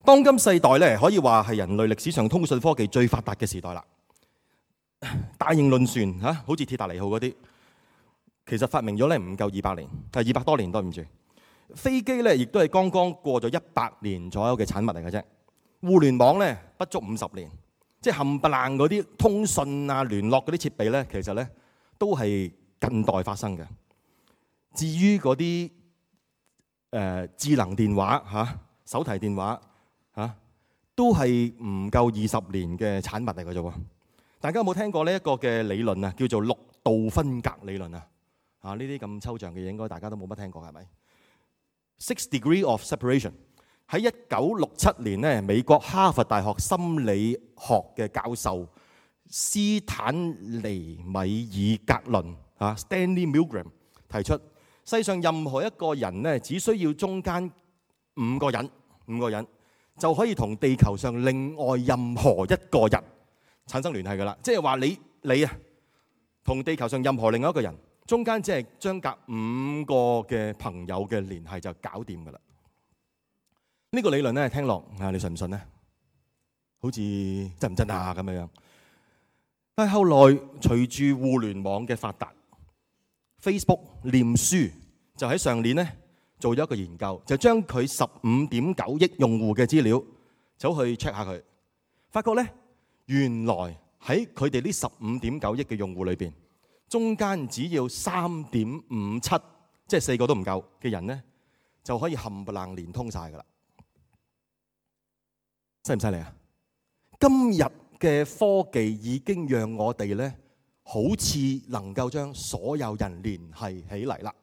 當今世代咧，可以話係人類歷史上通訊科技最發達嘅時代啦。大型輪船嚇，好似鐵達尼號嗰啲，其實發明咗咧唔夠200年，係200多年，對唔住。飛機咧，亦都係剛剛過咗100年左右嘅產物嚟嘅啫。互聯網咧，不足50年，即係冚唪唥嗰啲通訊啊、聯絡嗰啲設備咧，其實咧都係近代發生嘅。至於嗰啲智能電話嚇、手提電話嚇，都係唔夠20年嘅產物嚟嘅啫喎。大家有冇聽過呢一個嘅理論啊？叫做6度分隔理論啊！呢啲咁抽象嘅嘢，應該大家都冇乜聽過，係咪？6 degree of separation 喺1967年咧，美國哈佛大學心理學嘅教授斯坦尼米爾格倫（Stanley Milgram） 提出，世上任何一個人咧，只需要中間5個人就可以同地球上另外任何一個人產生聯繫㗎啦。即係話你啊，同地球上任何另外一個人中間只係相隔5個嘅朋友嘅聯繫就搞掂㗎啦。呢個理論咧，聽落你信唔信咧？好似真唔真啊咁樣。但係後來隨住互聯網嘅發達， Facebook 臉書就喺上年咧做咗一個研究，就將佢15.9億用戶嘅資料走去 check 下佢，發覺咧原來喺佢哋呢15.9億嘅用戶裏邊，中間只要3.57，即係4個都唔夠嘅人咧，就可以冚唪唥連通晒噶啦。犀唔犀利啊？今日嘅科技已經讓我哋咧，好似能夠將所有人聯繫起嚟啦。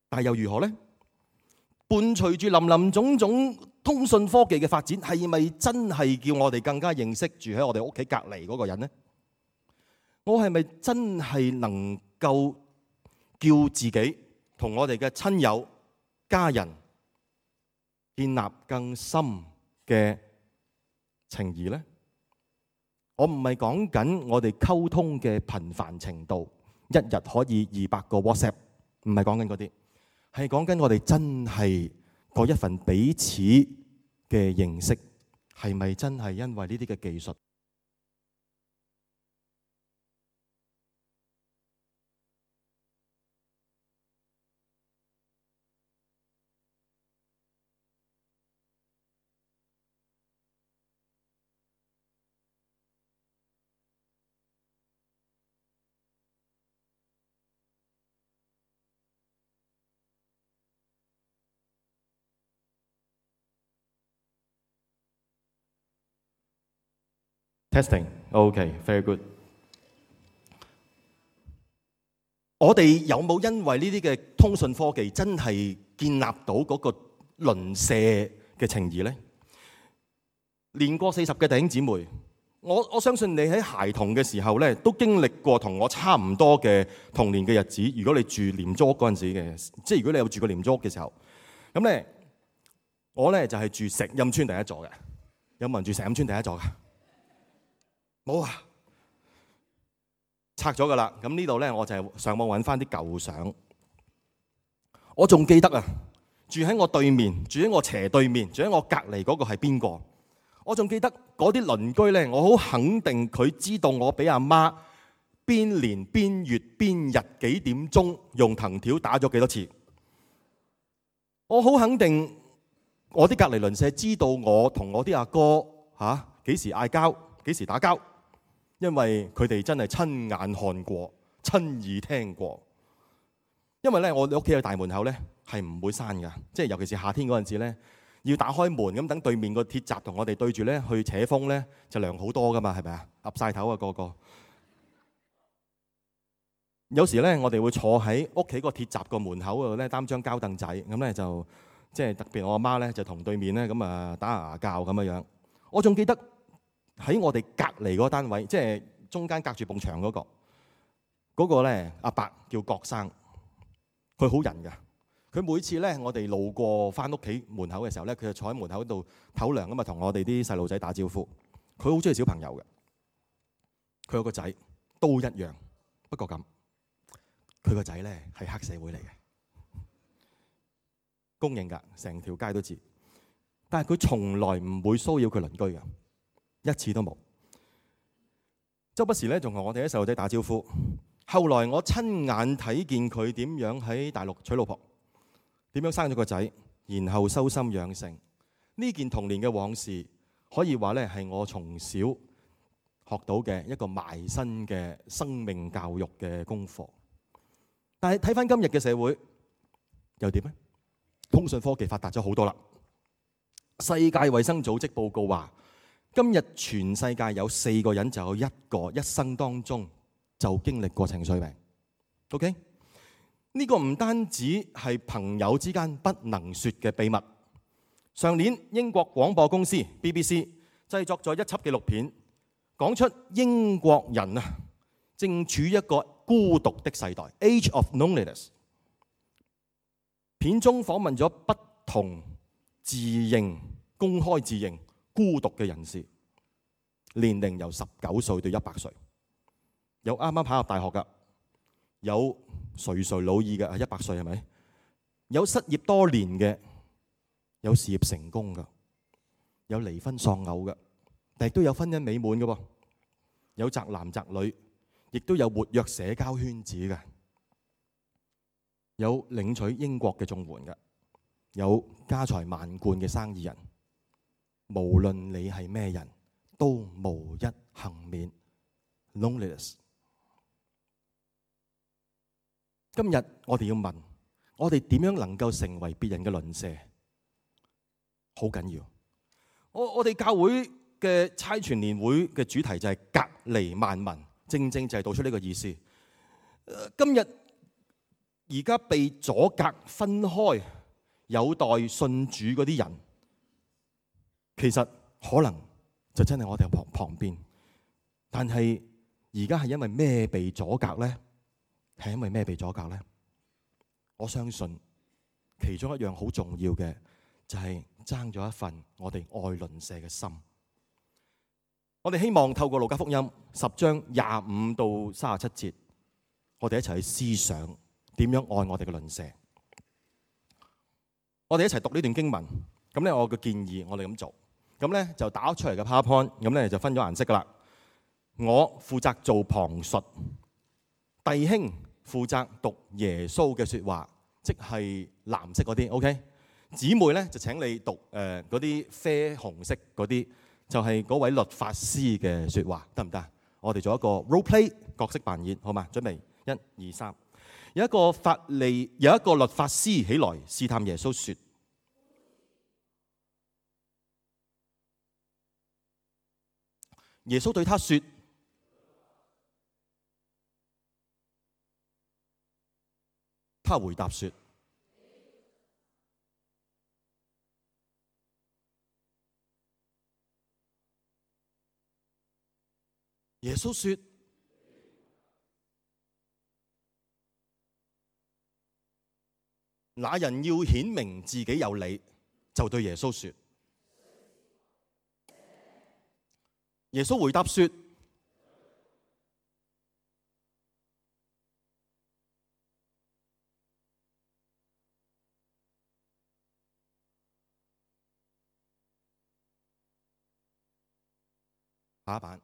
但係又如何呢？伴隨住林林總總通訊科技嘅發展，係咪真係叫我哋更加認識住喺我哋屋企隔離嗰個人呢？我係咪真係能夠叫自己同我哋嘅親友、家人建立更深嘅情誼呢？我唔係講緊我哋溝通嘅頻繁程度，一日可以200個 WhatsApp， 唔係講緊嗰啲，係講緊我哋真係嗰一份彼此嘅認識，係咪真係因為呢啲嘅技術？Testing, OK, very good。我哋有冇因為呢啲嘅通訊科技真係建立到嗰個鄰舍嘅情誼呢？年過40嘅弟兄姊妹，我相信你喺孩童嘅時候咧，都經歷過同我差唔多嘅童年嘅日子。如果你住廉租屋嗰陣時嘅，即係如果你有住過廉租屋嘅時候，咁咧我咧就係住石蔭村第一座嘅。有冇人住石蔭村第一座㗎？冇啊，拆咗噶啦。咁呢度咧，我就係上網揾翻啲舊相。我仲記得啊，住喺我對面，住喺我斜對面，住喺我隔離嗰個係邊個？我仲記得嗰啲鄰居咧，我好肯定佢知道我俾阿媽邊年邊月邊日幾點鐘用藤條打咗幾多次。我好肯定我啲隔離鄰舍知道我同我啲阿哥幾時嗌交，幾時打交。因為佢哋真係親眼看過、親耳聽過。因為咧，我哋屋企嘅大門口咧係唔會閂㗎，即係尤其是夏天嗰陣時咧，要打開門咁等對面個鐵閘同我哋對住咧去扯風咧，就涼好多㗎嘛，係咪啊？岌晒頭啊個個。有時咧，我哋會坐喺屋企個鐵閘個門口嗰度咧，擔張膠凳仔咁咧，就即係特別我阿媽咧就同對面咧咁啊打牙鉸咁樣樣。我仲記得。喺我哋隔離嗰個單位，即係中間隔住埲牆嗰個咧，阿伯叫郭生，佢好人㗎。佢每次咧，我哋路過翻屋企門口嘅時候咧，佢就坐喺門口度唞涼咁啊，同我哋啲細路仔打招呼。佢好中意小朋友嘅，佢有個仔都一樣，不過咁佢個仔咧係黑社會嚟嘅，公認㗎，成條街都知。但係佢從來唔會騷擾佢鄰居嘅，一次都冇。周不時咧仲同我哋啲細路仔打招呼。後來我親眼睇見佢點樣喺大陸娶老婆，點樣生咗個仔，然後修心養性。呢件童年嘅往事，可以話咧係我從小學到嘅一個埋身嘅生命教育嘅功課。但係睇翻今日嘅社會又點呢？通訊科技發達咗好多啦。世界衛生組織報告話，今日全世界有4個人就有1個一生當中就經歷過情緒病。OK？ 呢個唔單止係朋友之間不能說嘅秘密。上年英國廣播公司 BBC 製作咗一輯紀錄片，講出英國人正處於一個孤獨的世代 （Age of Loneliness）。片中訪問咗不同公開自認孤獨嘅人士，年齡由19歲到100歲，有啱啱考入大學㗎，有垂垂老矣嘅100歲係咪？有失業多年嘅，有事業成功㗎，有離婚喪偶㗎，但亦都有婚姻美滿㗎喎，有宅男宅女，亦都有活躍社交圈子嘅，有領取英國嘅綜援嘅，有家財萬貫嘅生意人。無論你係咩人，都無一幸免。Loneliness。今日我哋要問，我哋點樣能夠成為別人嘅鄰舍？好緊要。我哋教會嘅差傳年會嘅主題就係隔離萬民，正正就係道出呢個意思。今日而家被阻隔分開，有待信主嗰啲人，其實可能就真係我哋旁邊。但係而家係因為咩被阻隔呢？係因為咩被阻隔呢？我相信其中一樣好重要嘅就係爭咗一份我哋愛鄰舍嘅心。我哋希望透過路加福音10章25到37節，我哋一齊去思想點樣愛我哋嘅鄰舍。我哋一齊讀呢段經文。咁咧，我嘅建議我哋咁做。咁咧就打出嚟嘅 PowerPoint， 咁咧就分咗顏色噶啦。我負責做旁述，弟兄負責讀耶穌嘅說話，即係藍色嗰啲 OK。姊妹咧就請你讀嗰啲啡紅色嗰啲，就係嗰位律法師嘅說話，得唔得？我哋做一個 role play 角色扮演，好嘛？準備1、2、3。有一個律法師起來試探耶穌說：耶穌對他說：他回答說：耶穌說：那人要顯明自己有理，就對耶穌說。耶穌回答說：下一版。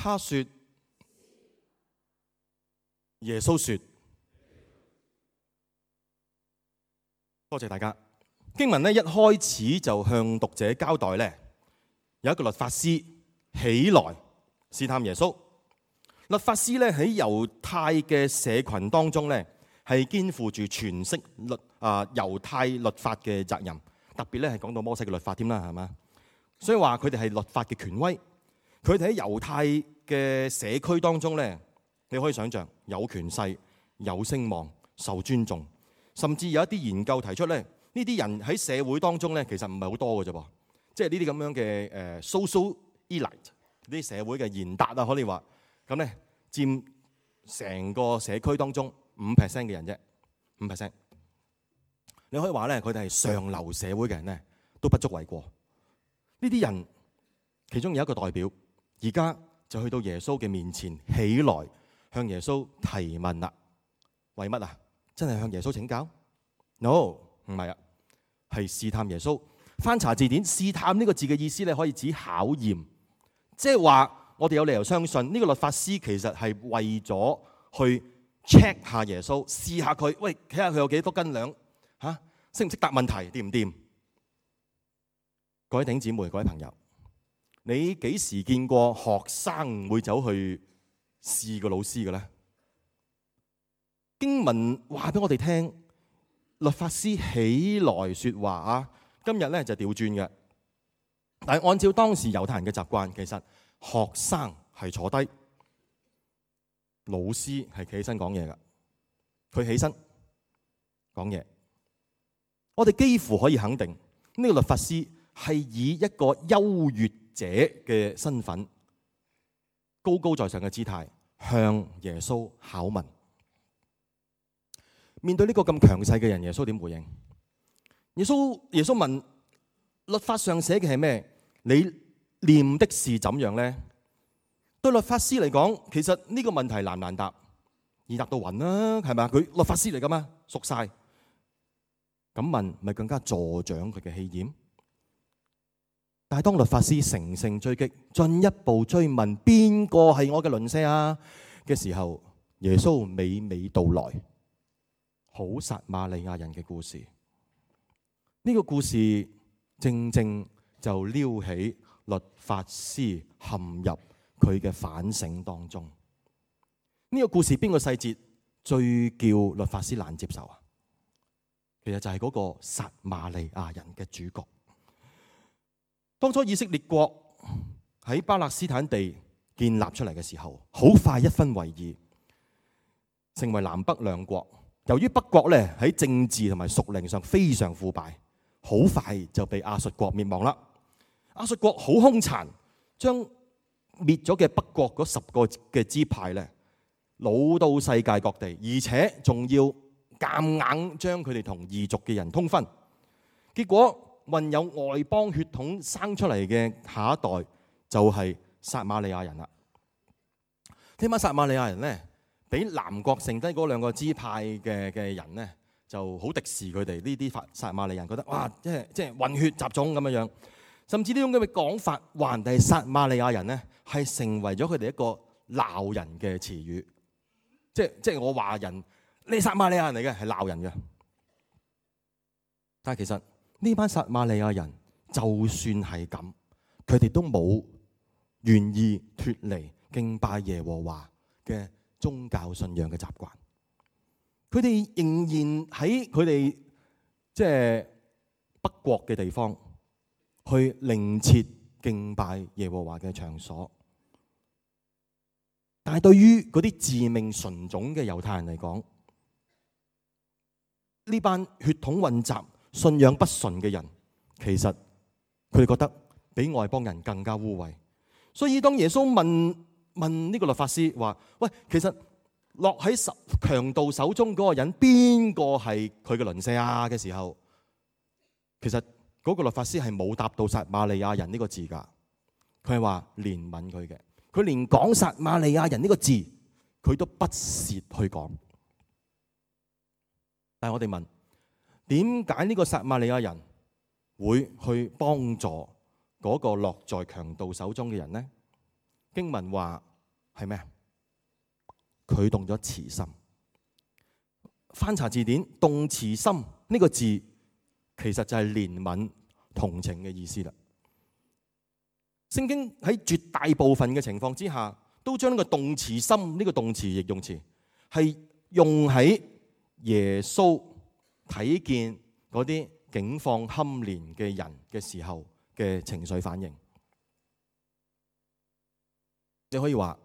他說：耶穌說。多謝大家。經文呢一開始就向讀者交代呢，有一個律法師起來試探耶穌。律法師咧喺猶太嘅社群當中咧，係肩負住詮釋猶太律法嘅責任，特別咧係講到摩西嘅律法添啦，係嘛？所以話佢哋係律法嘅權威。佢哋喺猶太嘅社區當中咧，你可以想象有權勢、有聲望、受尊重，甚至有一啲研究提出咧，呢啲人喺社會當中咧，其實唔係好多嘅啫噃，即係呢啲咁樣嘅social elite，呢啲社會嘅賢達啊，可以話咁咧，佔成個社區當中5% 嘅人啫，5%。你可以話咧，佢哋係上流社會嘅人咧，都不足為過。呢啲人其中有一個代表，而家就去到耶穌嘅面前起來，向耶穌提問啦。為乜啊？真係向耶穌請教 ？No， 唔係啊，係試探耶穌。翻查字典，試探呢個字嘅意思咧，可以指考驗，即係話我哋有理由相信呢個律法師其實係為咗去 check 下耶穌，試下佢，喂，睇下佢有幾多斤兩嚇，識唔識答問題，掂唔掂？各位弟兄姊妹，各位朋友，你幾時見過學生會走去試個老師嘅咧？經文話俾我哋聽，律法師起來説話啊！今日咧就調轉嘅，但係按照當時猶太人嘅習慣，其實學生係坐低，老師係企起身講嘢嘅。佢起身講嘢，我哋幾乎可以肯定呢個律法師係以一個優越者嘅身份，高高在上嘅姿態向耶穌考問。面對呢個咁強勢嘅人，耶穌點回應？耶穌問：律法上寫嘅係咩？你念的是怎樣呢？對律法師嚟講，其實呢個問題難唔難答？易答到暈啦，係咪？佢律法師嚟噶嘛，熟晒。咁問咪更加助長佢嘅氣焰？但係當律法師乘勝追擊，進一步追問邊個係我嘅鄰舍啊嘅時候，耶穌娓娓道來好撒瑪利亞人嘅故事。呢個故事正正就撩起律法師陷入佢嘅反省當中。呢個故事邊個細節最叫律法師難接受啊？其實就係嗰個撒瑪利亞人嘅主角。當初以色列國喺巴勒斯坦地建立出嚟嘅時候，好快一分為二，成為南北兩國。由於北國咧喺政治同埋屬靈上非常腐敗，好快就被亞述國滅亡啦。亞述國好兇殘，將滅咗嘅北國嗰10個嘅支派咧，擄到世界各地，而且仲要夾硬將佢哋同異族嘅人通婚。結果混有外邦血統生出嚟嘅下一代就係撒瑪利亞人啦。聽晚撒瑪利亞人咧，俾南國剩低嗰2個支派嘅人咧，就好敵視佢哋呢啲撒瑪利人，覺得哇，即係混血雜種咁樣樣。甚至呢種咁嘅講法，話人哋撒瑪利亞人咧，係成為咗佢哋一個鬧人嘅詞語。即係我話人，你撒瑪利亞人嚟嘅，係鬧人嘅。但係其實呢班撒瑪利亞人，就算係咁，佢哋都冇願意脫離敬拜耶和華嘅宗教信仰嘅習慣。佢哋仍然喺佢哋即係北國嘅地方，去另設敬拜耶和華嘅場所。但係對於嗰啲自命純種嘅猶太人嚟講，呢班血統混雜、信仰不純嘅人，其實佢哋覺得比外邦人更加污穢。所以當耶穌問呢個律法師話：喂，其實落喺強盜手中嗰個人，邊個係佢嘅鄰舍啊嘅時候，其實嗰個律法師係冇答到撒瑪利亞人呢個字㗎。佢係話憐憫佢嘅，佢連講撒瑪利亞人呢個字，佢都不屑去講。但係我哋問，點解呢個撒瑪利亞人會去幫助嗰個落在強盜手中嘅人呢？經文話係咩？佢動咗慈心。翻查字典，動慈心呢個字其實就係憐憫、同情嘅意思啦。聖經喺絕大部分嘅情況之下，都將呢個動詞心呢個動詞形容詞係用喺耶穌睇見嗰啲境況堪憐嘅人嘅時候嘅情緒反應。你可以話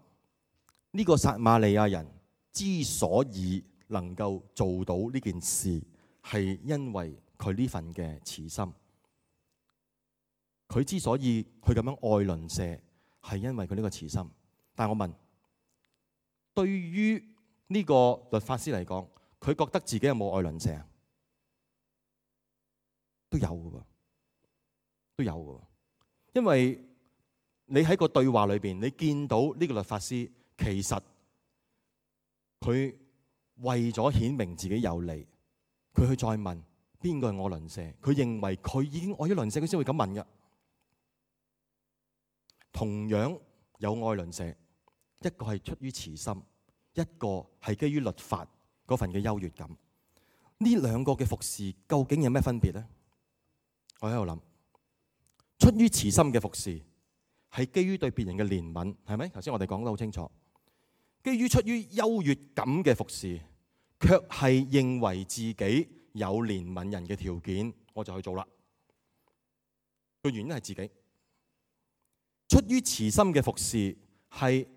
呢個撒瑪利亞人之所以能夠做到呢件事，係因為佢呢份嘅慈心。佢之所以去咁樣愛鄰舍，係因為佢呢個慈心。但我問，對於呢個律法師嚟講，佢覺得自己有冇愛鄰舍啊？都有嘅喎，都有嘅喎。因為你喺個對話裏邊，你見到呢個律法師其實佢為咗顯明自己有理，佢去再問邊個係我鄰舍？佢認為佢已經愛咗鄰舍，佢先會咁問嘅。同樣有愛鄰舍，一個係出於慈心，一個係基於律法嗰份嘅優越感。呢兩個嘅服侍究竟有咩分別呢？我喺度諗，出於慈心嘅服侍係基於對別人嘅憐憫，係咪？頭先我哋講得好清楚。基於出於優越感嘅服侍，卻係認為自己有憐憫人嘅條件，我就去做啦。個原因係自己。出於慈心嘅服侍係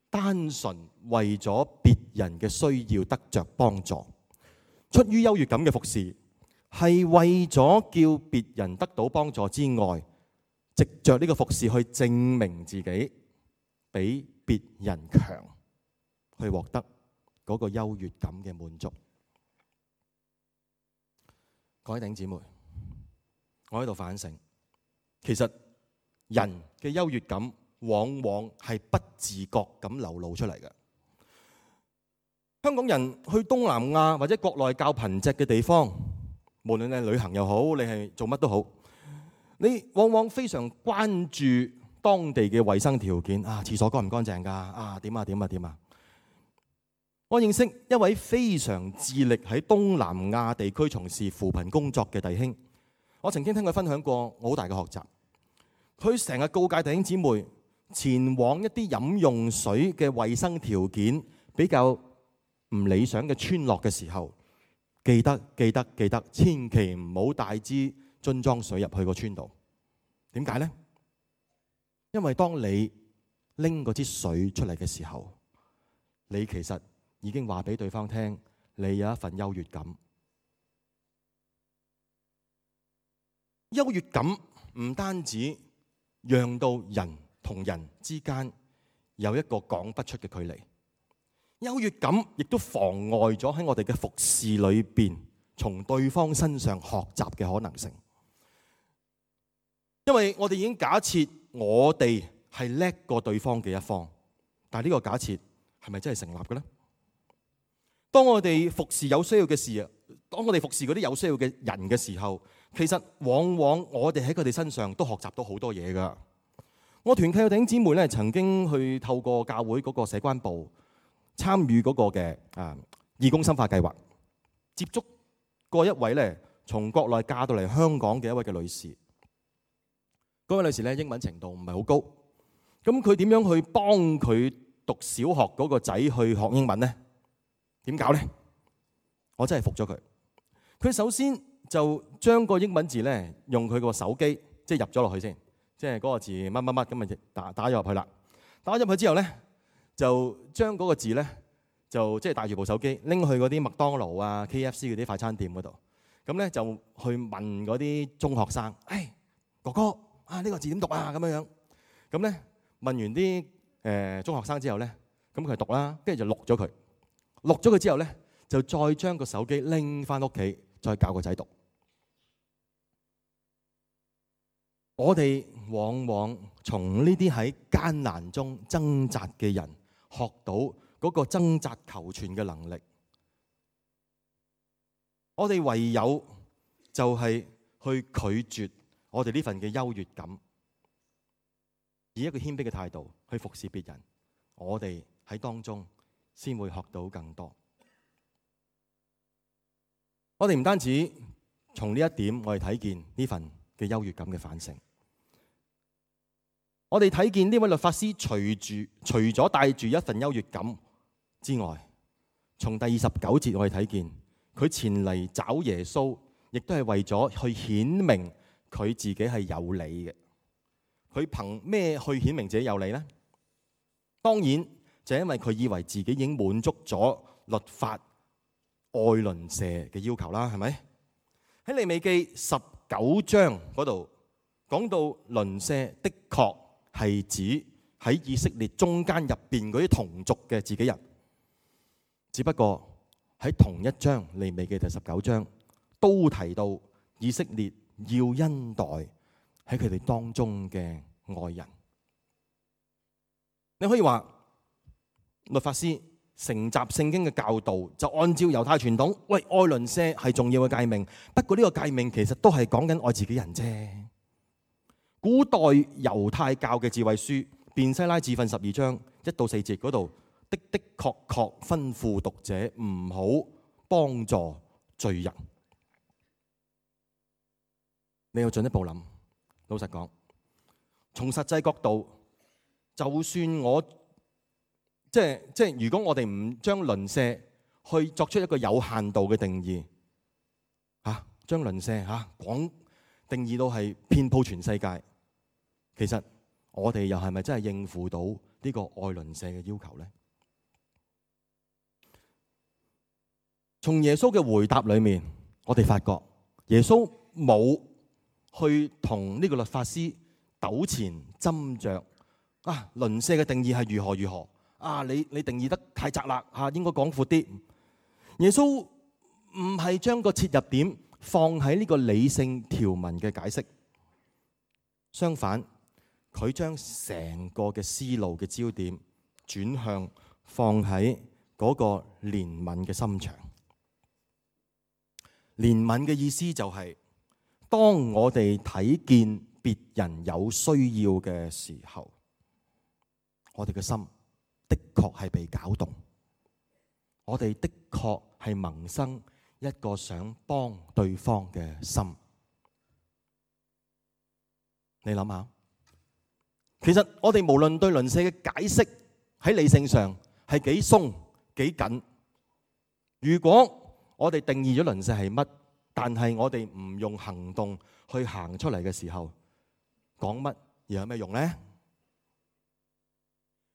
單純為咗別人嘅需要得着幫助。出於優越感嘅服侍係為咗叫別人得到幫助之外，藉着呢個服侍去證明自己比別人強，去獲得嗰個優越感嘅滿足。各位弟兄姊妹，我喺度反省，其實人嘅優越感往往係不自覺咁流露出嚟嘅。香港人去東南亞或者國內較貧瘠嘅地方，無論你係旅行又好，你係做乜都好，你往往非常關注當地嘅衛生條件啊，廁所乾唔乾淨㗎？啊，點啊點啊點啊！我認識一位非常致力喺東南亞地區從事扶貧工作嘅弟兄，我曾經聽佢分享過我好大嘅學習。佢成日告誡弟兄姊妹前往一啲飲用水嘅衛生條件比較唔理想嘅村落嘅時候，記得，千祈唔好帶支樽裝水入去個村度。點解呢？因為當你拎嗰支水出嚟嘅時候，你其實已經話俾對方聽，你有一份優越感。優越感唔單止讓到人同人之間有一個講不出嘅距離，優越感亦都妨礙咗喺我哋嘅服侍裏邊從對方身上學習嘅可能性。因為我哋已經假設我哋係叻過對方嘅一方，但係呢個假設係咪真係成立嘅呢？當我哋服侍有需要嘅事，當我哋服侍嗰啲有需要嘅人嘅時候，其實往往我哋喺佢哋身上都學習到好多嘢㗎。我團契嘅弟兄姊妹咧，曾經去透過教會嗰個社關部參與嗰個嘅義工深化計劃，接觸過一位咧從國內嫁到嚟香港嘅一位嘅女士。嗰位女士咧英文程度唔係好高，咁佢點樣去幫佢讀小學嗰個仔去學英文呢？點搞呢？我真係服咗佢。佢首先就將個英文字咧用佢個手機即係入咗落去先。即係嗰個字乜乜乜咁咪打咗入去啦。打咗入去之後咧，就將嗰個字咧就即係帶住部手機拎去嗰啲麥當勞啊、KFC 嗰啲快餐店嗰度。咁咧就去問嗰啲中學生：哥哥啊，呢個字點讀啊？咁樣樣。咁咧問完啲中學生之後咧，咁佢讀啦，跟住就錄咗佢。錄咗佢之後咧，就再將個手機拎翻屋企，再教個仔讀。我哋往往從呢啲喺艱難中掙扎嘅人學到嗰個掙扎求存嘅能力。我哋唯有就係去拒絕我哋呢份嘅優越感，以一個謙卑嘅態度去服侍別人。我哋喺當中先會學到更多。我哋唔單止從呢一點，我哋睇見呢份嘅優越感嘅反省。我哋睇見呢位律法師除咗帶住一份優越感之外，從第29節我哋睇見佢前嚟找耶穌，亦都係為咗去顯明佢自己係有理嘅。佢憑咩去顯明自己有理呢？當然就因為佢以為自己已經滿足咗律法愛鄰舍嘅要求啦，係咪？喺利未記19章嗰度講到鄰舍的確係指喺以色列中間入邊嗰啲同族嘅自己人，只不過喺同一章利未記第19章都提到以色列要恩待喺佢哋當中嘅外人。你可以話律法師承襲聖經嘅教導，就按照猶太傳統，喂，愛鄰舍係重要嘅誡命。不過呢個誡命其實都係講緊愛自己人啫。古代猶太教嘅智慧書便西拉智訓12章1到4節嗰度的確吩咐讀者唔好幫助罪人。你要進一步諗，老實講，從實際角度，就算我即係如果我哋唔將鄰舍去作出一個有限度嘅定義，將鄰舍廣定義到係遍佈全世界，其實我哋又係咪真係應付到呢個愛鄰舍嘅要求呢？從耶穌嘅回答裏面，我哋發覺耶穌冇去同呢個律法師糾纏斟酌鄰舍嘅定義係如何如何你定義得太窄啦應該講闊啲。耶穌唔係將個切入點放喺呢個理性條文嘅解釋，相反佢將成個嘅思路嘅焦點轉向放喺嗰個憐憫嘅心腸。憐憫嘅意思就係當我哋睇見別人有需要嘅時候，我哋嘅心的確係被攪動，我哋的確係萌生一個想幫對方嘅心。你諗下，其實我哋無論對鄰舍嘅解釋喺理性上係幾鬆幾緊，如果我哋定義咗鄰舍係乜，但係我哋唔用行動去行出嚟嘅時候，講乜又有咩用呢？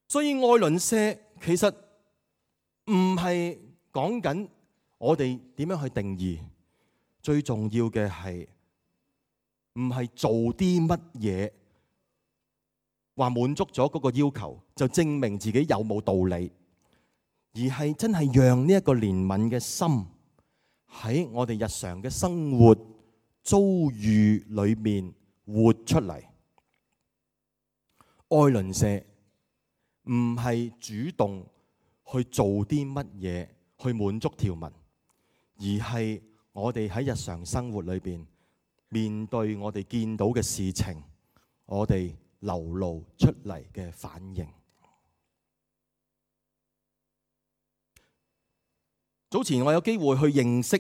所以愛鄰舍其實唔係講緊我哋點樣去定義，最重要嘅係唔係做啲乜嘢話滿足咗嗰個要求就證明自己有冇道理，而係真係讓呢一個憐憫嘅心喺我哋日常嘅生活遭遇裏面活出嚟。愛鄰舍唔係主動去做啲乜嘢去滿足條文，而係我哋喺日常生活裏邊面對我哋見到嘅事情，我哋流露出嚟嘅反應。早前我有機會去認識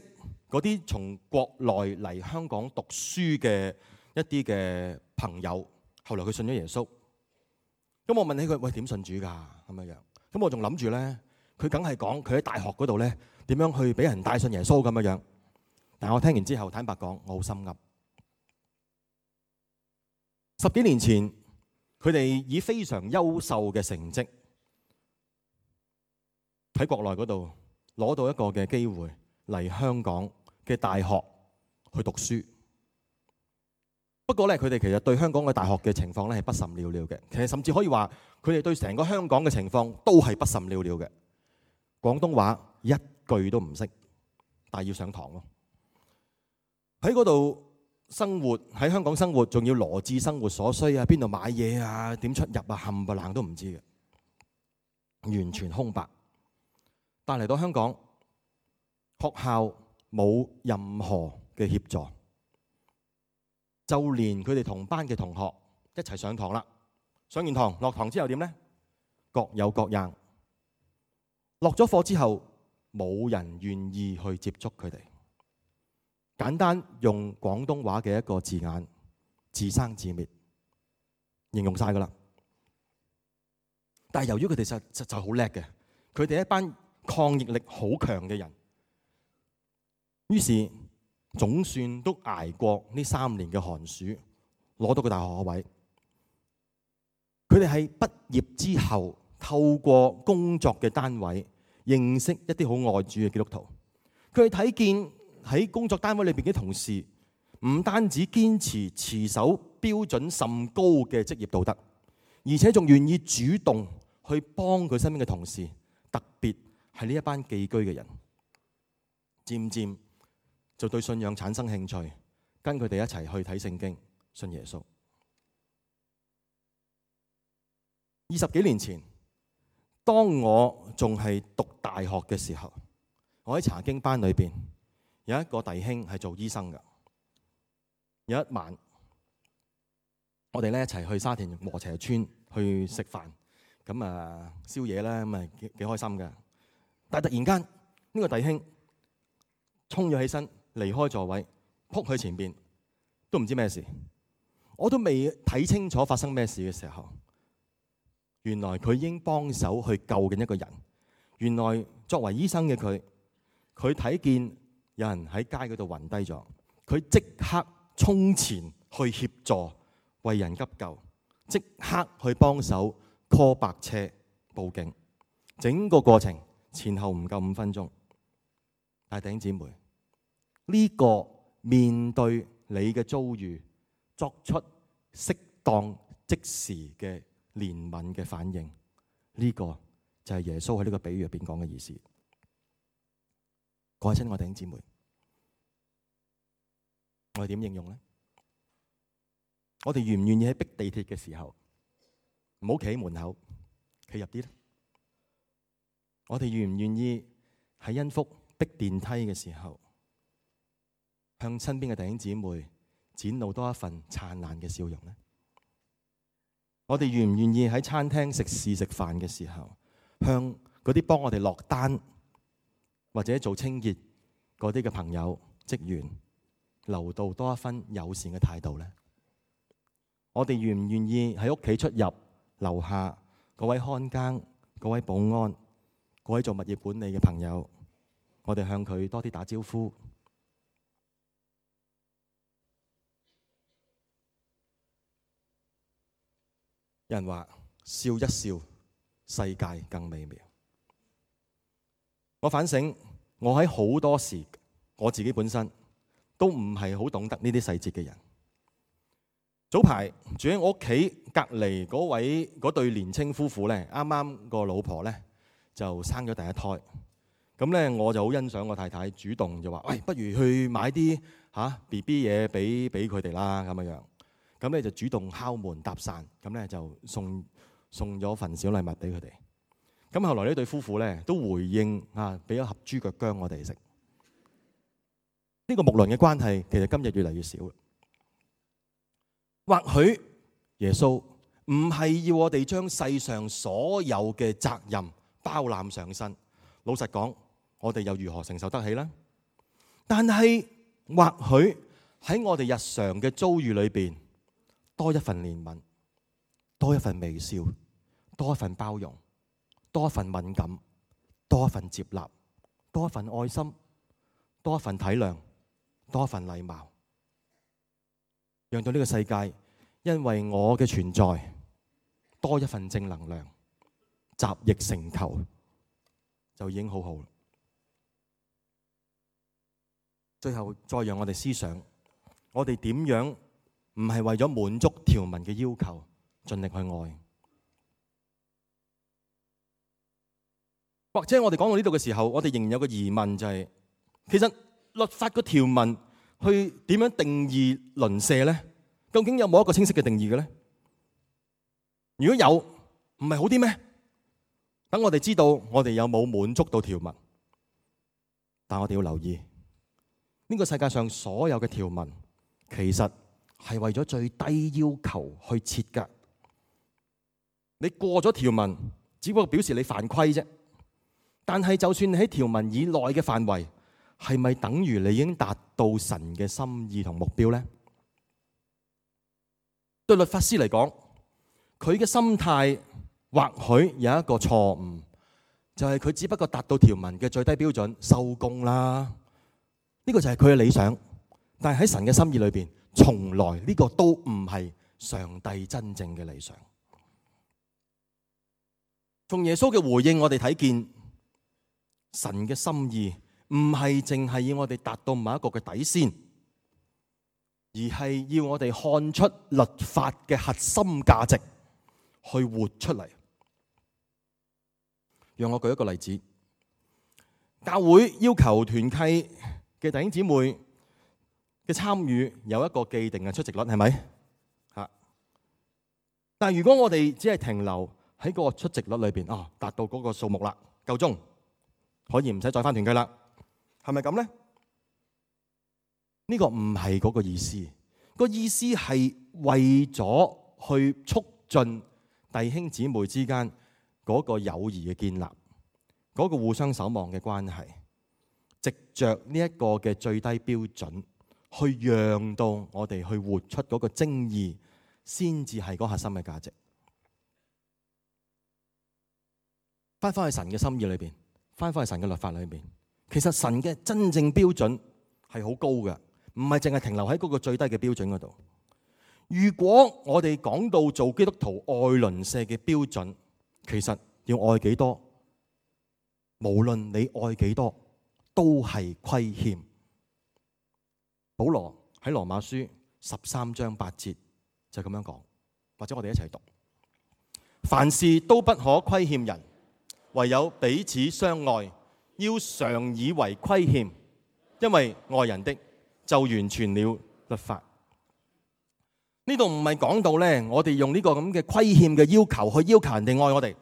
嗰啲從國內嚟香港讀書嘅一啲嘅朋友，後來佢信咗耶穌。咁我問起佢，喂，點信主㗎？咁樣樣。咁我仲諗住咧，佢梗係講佢喺大學嗰度咧點樣去俾人帶信耶穌咁樣樣。但係我聽完之後，坦白講，我好心噏。10幾年前，佢哋以非常優秀嘅成績喺國內嗰度攞到一個嘅機會嚟香港嘅大學去讀書。不過咧，佢哋其實對香港嘅大學嘅情況咧係不甚了了嘅。其實甚至可以話，佢哋對成個香港嘅情況都係不甚了了嘅。廣東話一句都唔識，但係要上堂咯。喺嗰度生活，喺香港生活，仲要羅致生活所需啊，邊度買嘢啊，點出入啊，冚唪唥都唔知嘅，完全空白。但嚟到香港，學校冇任何嘅協助。就連佢哋同班嘅同學一齊上堂啦，上完堂落堂之後點呢？各有各樣。落咗課之後，冇人願意去接觸佢哋。簡單用廣東話嘅一個字眼，自生自滅，形容晒噶啦。但係由於佢哋實在好叻嘅，佢哋一班抗逆力好強嘅人，於是總算都捱過呢3年嘅寒暑，攞到個大學學位。佢哋喺畢業之後，透過工作嘅單位認識一啲好愛主嘅基督徒。佢哋睇見喺工作單位裏邊嘅同事，唔單止堅持守標準甚高嘅職業道德，而且仲願意主動去幫佢身邊嘅同事，特別係呢一班寄居嘅人。漸漸就對信仰產生興趣，跟佢哋一齊去睇聖經，信耶穌。20幾年前，當我仲係讀大學嘅時候，我喺查經班裏邊有一個弟兄係做醫生㗎。有一晚，我哋咧一齊去沙田禾輋村去食飯，咁啊宵夜啦，咁啊幾開心㗎。但係突然間呢個弟兄衝咗起身，離開座位，撲去前邊，都唔知咩事。我都未睇清楚發生咩事嘅時候，原來佢已經幫手去救緊一個人。原來作為醫生嘅佢睇見有人喺街嗰度暈低咗，佢即刻衝前去協助為人急救，即刻去幫手 call 白車報警。整個過程前後唔夠5分鐘。但係弟兄姊妹，呢個面對你嘅遭遇，作出適當即時嘅憐憫嘅反應，呢個就係耶穌喺呢個比喻入邊講嘅意思。各位親愛弟兄姊妹，我哋點應用呢？我哋願唔願意喺逼地鐵嘅時候唔好企喺門口，企入啲咧？我哋願唔願意喺恩福逼電梯嘅時候，向身邊嘅弟兄姊妹展露多一份燦爛嘅笑容呢？我哋願唔願意喺餐廳食肆食飯嘅時候，向嗰啲幫我哋落單或者做清潔嗰啲嘅朋友職員留到多一分友善嘅態度呢？我哋願唔願意喺屋企出入樓下嗰位看更、嗰位保安、嗰位做物業管理嘅朋友，我哋向佢多啲打招呼？有人話笑一笑，世界更美妙。我反省，我喺好多時我自己本身都唔係好懂得呢啲細節嘅人。早排住喺我屋企隔離嗰對年青夫婦咧，啱啱個老婆咧就生咗第一胎。咁咧我就好欣賞我太太主動就話：喂，不如去買啲BB 嘢俾佢哋啦咁樣。咁咧就主動敲門搭訕，咁咧就送咗份小禮物俾佢哋。咁後來呢對夫婦咧都回應俾咗盒豬腳薑我哋食。呢個睦鄰嘅關係其實今日越嚟越少。或許耶穌唔係要我哋將世上所有嘅責任包攬上身。老實講，我哋又如何承受得起呢？但係或許喺我哋日常嘅遭遇裏邊，多一份憐憫，多一份微笑，多一份包容，多一份敏感，多一份接納，多一份愛心，多一份體諒，多一份禮貌，讓到呢個世界因為我嘅存在多一份正能量，集腋成裘，就已經好好。最後再讓我哋思想，我哋點樣唔係為咗滿足條文嘅要求，盡力去愛。或者我哋講到呢度嘅時候，我哋仍然有個疑問，就係其實律法個條文去點樣定義鄰舍呢？究竟有冇一個清晰嘅定義嘅呢？如果有，唔係好啲咩？等我哋知道我哋有冇滿足到條文。但我哋要留意，呢個世界上所有嘅條文其實係為咗最低要求去設㗎。你過咗條文，只不過表示你犯規啫。但係就算你喺條文以內嘅範圍，係咪等於你已經達到神嘅心意同目標呢？對律法師嚟講，佢嘅心態或許有一個錯誤，就係佢只不過達到條文嘅最低標準，收工啦。呢個就係佢嘅理想，但係喺神嘅心意裏邊，從來呢個都唔係上帝真正嘅理想。從耶穌嘅回應，我哋睇見神嘅心意唔係淨係要我哋達到某一個嘅底線，而係要我哋看出律法嘅核心價值，去活出嚟。讓我舉一個例子，教會要求團契嘅弟兄姊妹嘅參與有一個既定嘅出席率，係咪？吓，但係如果我哋只係停留喺個出席率裏邊，達到嗰個數目啦，夠鐘，可以唔使再返團契啦，係咪咁呢？呢個唔係嗰個意思，個意思係為咗去促進弟兄姊妹之間嗰個友誼嘅建立，嗰個互相守望嘅關係，藉着呢一個嘅最低標準，去讓到我哋去活出嗰個精義，先至係嗰核心嘅價值。翻返去神嘅心意裏邊，翻返去神嘅律法裏邊，其實神嘅真正標準係好高嘅，唔係淨係停留喺嗰個最低嘅標準嗰度。如果我哋講到做基督徒愛鄰舍嘅標準，其實要愛幾多，無論你愛幾多，都係虧欠。保羅喺羅馬書13章8節就咁樣講，或者我哋一齊讀：凡事都不可虧欠人，唯有彼此相愛，要常以為虧欠，因為愛人的就完全了律法。呢度唔係講到咧，我哋用呢個咁嘅虧欠嘅要求去要求人哋愛我哋。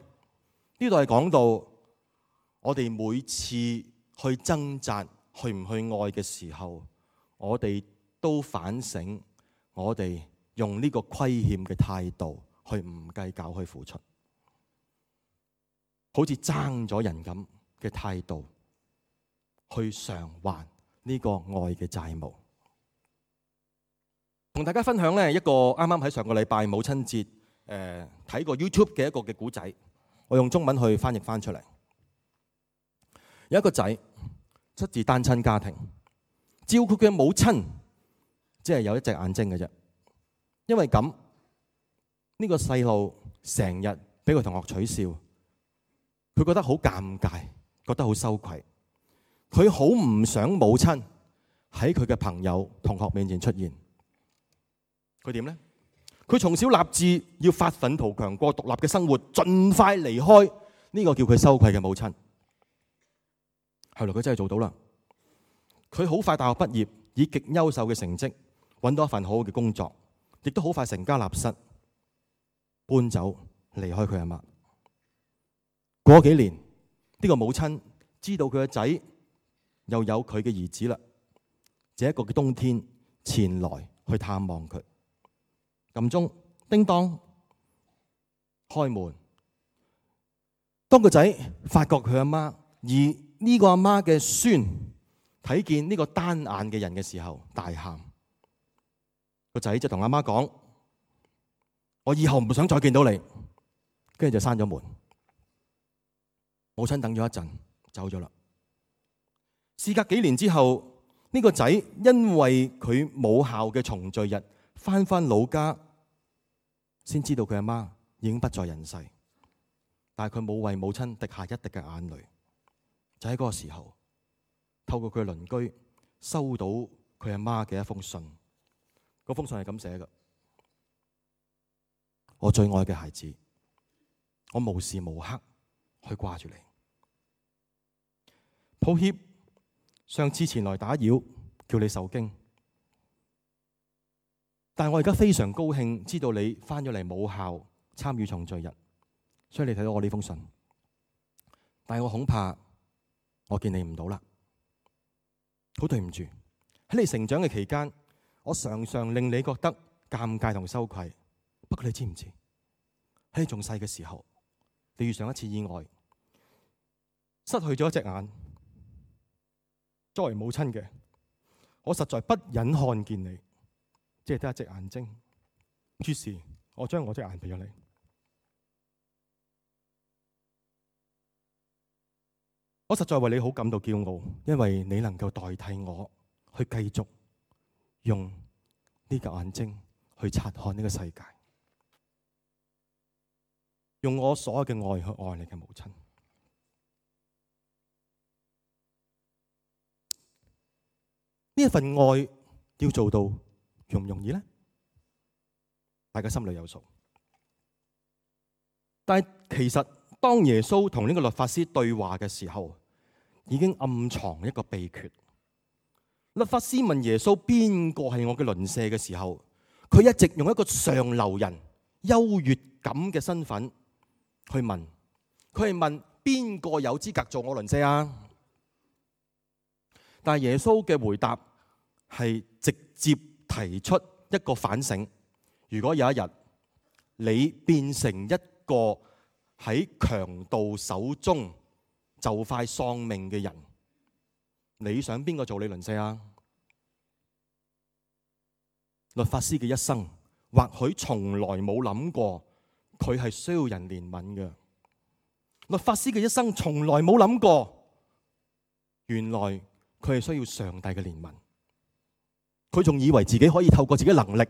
呢度係講到我哋每次去掙扎去唔去愛嘅時候，我哋都反省我哋用呢個虧欠嘅態度去唔計較去付出，好似爭咗人咁嘅態度去償還呢個愛嘅債務。同大家分享呢一個啱啱喺上個禮拜母親節睇過 YouTube 嘅一個嘅故仔，我用中文去翻譯翻出嚟。有一個仔出自單親家庭，照顧佢嘅母親只係有一隻眼睛嘅啫。因為咁，呢個細路成日俾個同學取笑，佢覺得好尷尬，覺得好羞愧。佢好唔想母親喺佢嘅朋友同學面前出現。佢點呢？佢從小立志要發奮圖強，過獨立嘅生活，盡快離開呢個叫佢羞愧嘅母親。後來佢真係做到啦。佢好快大學畢業，以極優秀嘅成績揾到一份好好嘅工作，亦都好快成家立室，搬走離開佢阿媽。過咗幾年，呢個母親知道佢嘅仔又有佢嘅兒子啦，這一個嘅冬天前來去探望佢。撳鐘，叮當，開門。當個仔發覺佢阿媽，而呢個阿媽嘅孫睇見呢個單眼嘅人嘅時候，大喊。個仔就同阿媽講：我以後唔想再見到你。跟住就閂咗門。母親等咗一陣，走咗啦。事隔幾年之後，呢個仔因為佢母校嘅重聚日，翻老家，先知道佢阿媽已經不在人世，但係佢冇為母親滴下一滴嘅眼淚。就喺嗰個時候，透過佢嘅鄰居收到佢阿媽嘅一封信。嗰封信係咁寫嘅：我最愛嘅孩子，我無時無刻去掛住你。抱歉，上次前來打擾，叫你受驚。但係我而家非常高興，知道你翻咗嚟母校參與重聚日，所以你睇到我呢封信。但係我恐怕我見你唔到啦，好對唔住。喺你成長嘅期間，我常常令你覺得尷尬同羞愧。不過你知唔知？喺你仲細嘅時候，你遇上一次意外，失去咗一隻眼。作為母親嘅，我實在不忍看見你，只係得一隻眼睛。於是，我將我隻眼俾咗你。我實在為你好感到驕傲，因為你能夠代替我去繼續用呢個眼睛去察看呢個世界，用我所有嘅愛去愛你嘅母親。呢一份愛要做到容唔容易呢？大家心裏有數。但係其實當耶穌同呢個律法師對話嘅時候，已經暗藏一個秘訣。律法師問耶穌邊個係我嘅鄰舍嘅時候，佢一直用一個上流人優越感嘅身份去問，佢係問邊個有資格做我鄰舍啊？但係耶穌嘅回答係直接提出一個反省：如果有一日你變成一個喺強盜手中就快喪命嘅人，你想邊個做你鄰舍啊？律法師嘅一生或許從來冇諗過佢係需要人憐憫嘅。律法師嘅一生從來冇諗過，原來佢係需要上帝嘅憐憫。佢仲以為自己可以透過自己能力、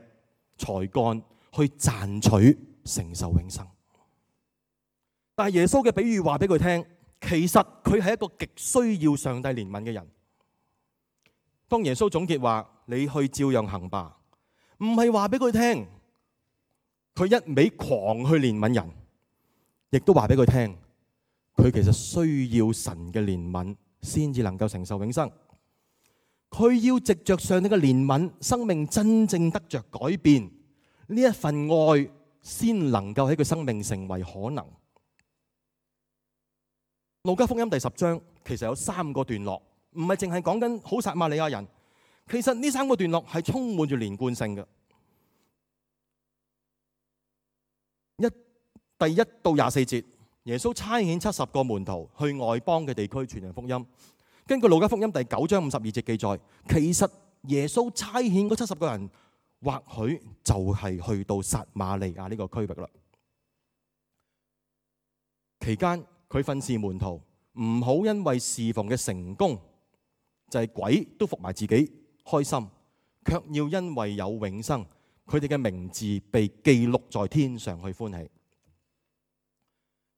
才幹去賺取承受永生。但係耶穌嘅比喻話俾佢聽，其實佢係一個極需要上帝憐憫嘅人。當耶穌總結話你去照樣行吧，唔係話俾佢聽佢一味狂去憐憫人，亦都話俾佢聽佢其實需要神嘅憐憫先至能夠承受永生。佢要藉着上帝嘅憐憫，生命真正得着改變，呢一份愛先能夠喺佢生命成為可能。路加福音第10章其實有3個段落，唔係淨係講緊好撒瑪利亞人，其實呢3個段落係充滿住連貫性嘅。第1到24節，耶穌差遣70個門徒去外邦嘅地區傳揚福音。根據路加福音第9章52節記載，其實耶穌差遣嗰70個人，或許就係去到撒瑪利亞呢個區域啦。期間佢訓示門徒唔好因為侍奉嘅成功，就係鬼都服埋自己開心，卻要因為有永生，佢哋嘅名字被記錄在天上去歡喜。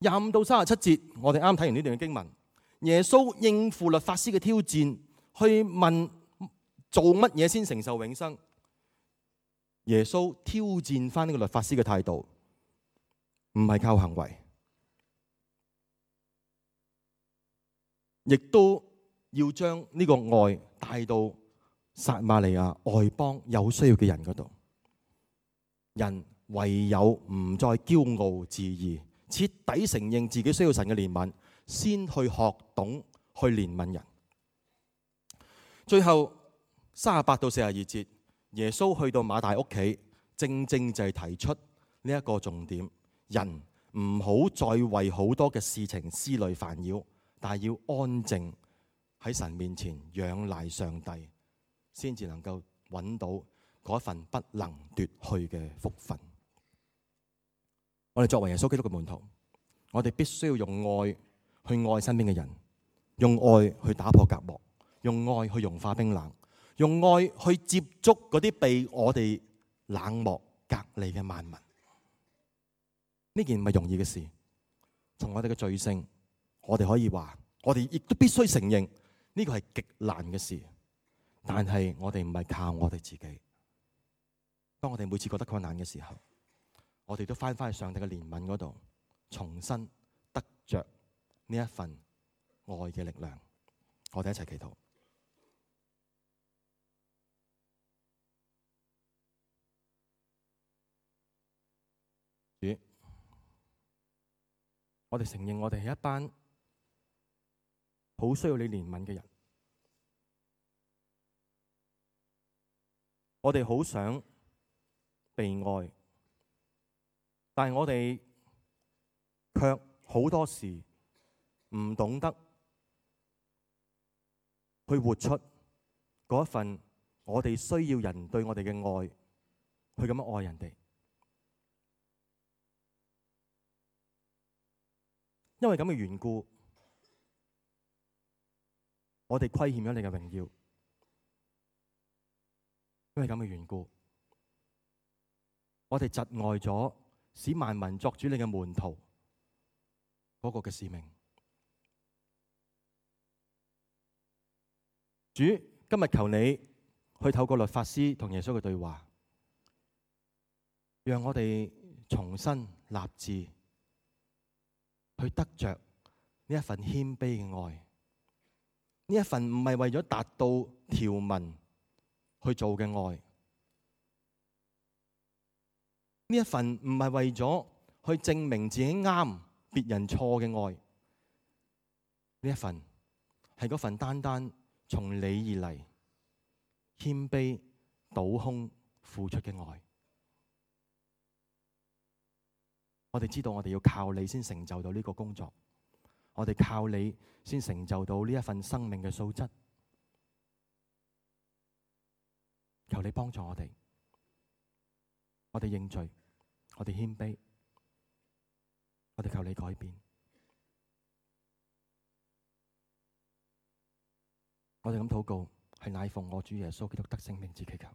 25到37節，我哋啱睇完呢段嘅經文。耶穌應付律法師嘅挑戰，去問做乜嘢先承受永生。耶穌挑戰翻呢個律法師嘅態度，唔係靠行為，亦都要將呢個愛帶到撒瑪利亞外邦有需要嘅人嗰度。人唯有唔再驕傲自義，徹底承認自己需要神嘅憐憫，先去學懂去憐憫人。最後38到42節，耶穌去到馬大屋企，正正就係提出呢一個重點：人唔好再為好多嘅事情思慮煩擾，但係要安靜喺神面前仰賴上帝，先至能夠揾到嗰份不能奪去嘅福分。我哋作為耶穌基督嘅門徒，我哋必須要用愛去愛身邊嘅人，用愛去打破隔膜，用愛去融化冰冷，用愛去接觸嗰啲被我哋冷漠隔離嘅萬民。呢件唔係容易嘅事。從我哋嘅罪性，我哋可以話，我哋亦都必須承認呢個係極難嘅事。但係我哋唔係靠我哋自己。當我哋每次覺得困難嘅時候，我哋都翻返去上帝嘅憐憫嗰度，重新得着呢一份愛嘅力量。我哋一齊祈禱。主，我哋承認我哋係一班好需要你憐憫嘅人。我哋好想被愛，但係我哋卻好多時唔懂得去活出嗰一份我哋需要人對我哋嘅愛，去咁樣愛人哋。因為咁嘅緣故，我哋虧欠咗你嘅榮耀，因為咁嘅緣故，我哋窒礙咗使萬民作主你嘅門徒嗰個嘅使命。主，今日求你去透過律法師同耶穌嘅對話，讓我哋重新立志去得着呢一份謙卑嘅愛，呢一份唔係為咗達到條文去做嘅愛，呢一份唔係為咗去證明自己啱，別人錯嘅愛，呢一份係嗰份單單從你而嚟，謙卑倒空付出嘅愛。我哋知道我哋要靠你先成就到呢個工作，我哋靠你先成就到呢一份生命嘅素質。求你幫助我哋，我哋認罪，我哋謙卑，我哋求你改變。我哋咁禱告，係乃奉我主耶穌基督得勝名字祈求。